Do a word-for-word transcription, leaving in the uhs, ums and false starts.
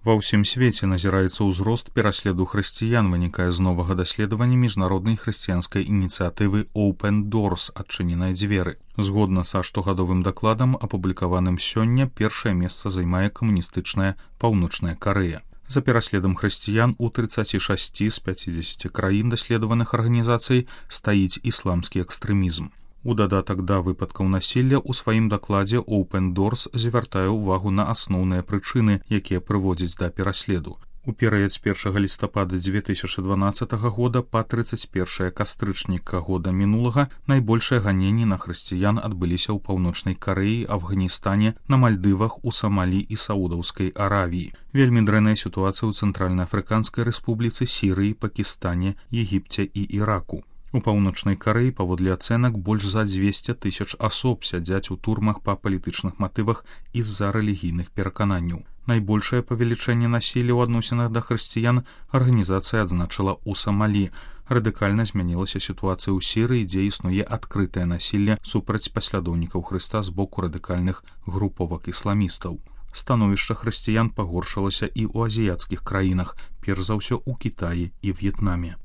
Ва ўсім свеце назіраецца ўзрост пераследу хрысціян, вынікае з новага даследавання міжнароднай хрысціянскай ініцыятывы Open Doors «Адчыненыя дзверы». Згодна са штогадовым дакладам, апублікаваным сёння, першае месца займае камуністычная Паўночная Карэя. За пераследам хрысціян у трыццаці шасці з пяцідзесяці краін даследаваных арганізацый стаіць ісламскі экстрэмізм. У дадатак да выпадкаў насілля ў сваім дакладзе Open Doors звяртае ўвагу на асноўныя прычыны, якія прыводзяць да пераследу. У перыяд з першага лістапада дзве тысячы дванаццатага года па трыццаць першае кастрычніка года мінулага найбольшыя ганенні на хрысціян адбыліся ў Паўночнай Карэі, Афганістане, на Мальдывах, у Самалі і Саудаўскай Аравіі. Вельмі дрэнная сітуацыя ў Цэнтральна-Афрыканскай Рэспубліцы, Сірыі, Пакістане, Егіпце і Іраку. У Паўночнай Карэі, паводле ацэнак, больш за дзвесце тысяч асоб сядзяць у турмах па палітычных матывах і з-за рэлігійных перакананняў. Найбольшае павелічэнне насілля ў адносінах да хрысціян арганізацыя адзначыла ў Самалі. Радыкальна змянілася сітуацыя ў Сірыі, дзе існуе адкрытае насілля супраць паслядоўнікаў Хрыста з боку радыкальных груповак ісламістаў. Становішча хрысціян пагоршылася і ў азіяцкіх краінах, перш за ўсё ў Кітаі і В'етнаме.